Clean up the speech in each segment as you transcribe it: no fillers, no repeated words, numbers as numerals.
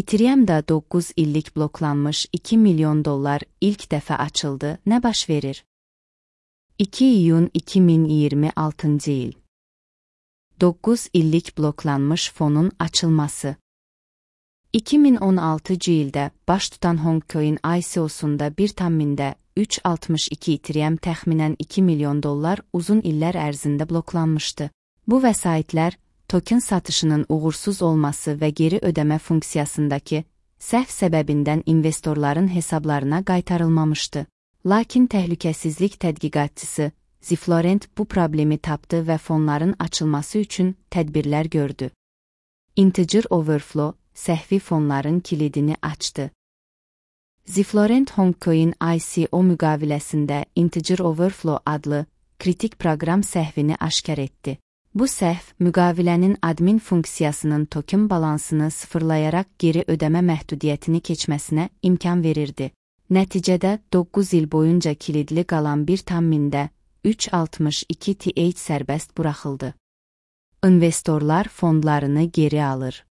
Ethereum'da 9 illik bloklanmış $2 milyon ilk dəfə açıldı. Nə baş verir? 2 iyun 2026 il. 9 illik bloklanmış fonun açılması. 2016 ildə baş tutan Hongcoin ICO-sunda 1,362 Ethereum təxminən $2 milyon uzun illər ərzində bloklanmışdı. Bu vəsaitlər, token satışının uğursuz olması və geri ödəmə funksiyasındakı səhv səbəbindən investorların hesablarına qaytarılmamışdı. Lakin təhlükəsizlik tədqiqatçısı Ziflorent bu problemi tapdı və fonların açılması üçün tədbirlər gördü. Integer Overflow səhvi fonların kilidini açdı. Ziflorent Hongcoin ICO müqaviləsində Integer Overflow adlı kritik proqram səhvini aşkar etdi. Bu səhv, müqavilənin admin funksiyasının token balansını sıfırlayaraq geri ödəmə məhdudiyyətini keçməsinə imkan verirdi. Nəticədə 9 il boyunca kilidli qalan 1,362 TH sərbəst buraxıldı. İnvestorlar fondlarını geri alır.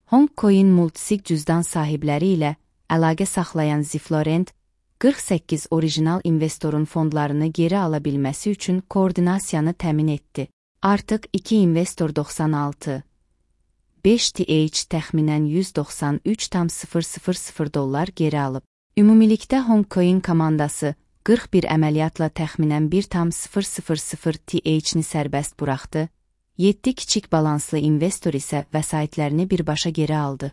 Hongcoin multisig cüzdan sahibləri ilə əlaqə saxlayan Ziflorent, 48 orijinal investorun fondlarını geri ala bilməsi üçün koordinasiyanı təmin etdi. Artıq 2 investor 96,5 TH təxminən $193,000 geri alıb. Ümumilikdə Hongcoin komandası 41 əməliyyatla təxminən 1,000 TH-ni sərbəst buraxdı, 7 kiçik balanslı investor isə vəsaitlərini birbaşa geri aldı.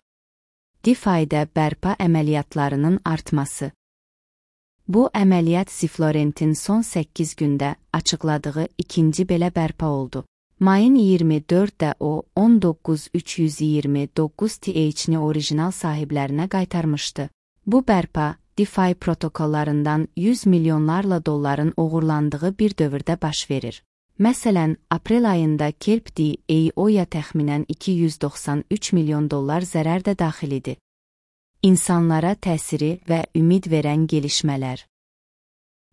DeFi-də bərpa əməliyyatlarının artması. Bu əməliyyat Ziflorentin son 8 gündə açıqladığı ikinci belə bərpa oldu. Mayın 24-də o 19,329 TH-ni orijinal sahiblərinə qaytarmışdı. Bu bərpa, DeFi protokollarından $100 milyonlarla dolların uğurlandığı bir dövrdə baş verir. Məsələn, aprel ayında Kelp.io-ya təxminən $293 milyon zərər də daxil idi. İnsanlara təsiri və ümid verən gelişmələr.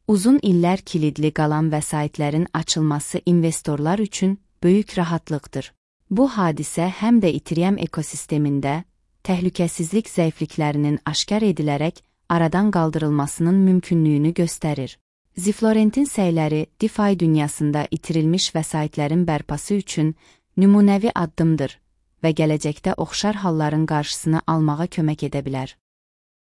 Uzun illər kilidli qalan vəsaitlərin açılması investorlar üçün böyük rahatlıqdır. Bu hadisə həm də Ethereum ekosistemində təhlükəsizlik zəifliklərinin aşkar edilərək aradan qaldırılmasının mümkünlüyünü göstərir. Ziflorentin səyləri DeFi dünyasında itirilmiş vəsaitlərin bərpası üçün nümunəvi addımdır və gələcəkdə oxşar halların qarşısını almağa kömək edə bilər.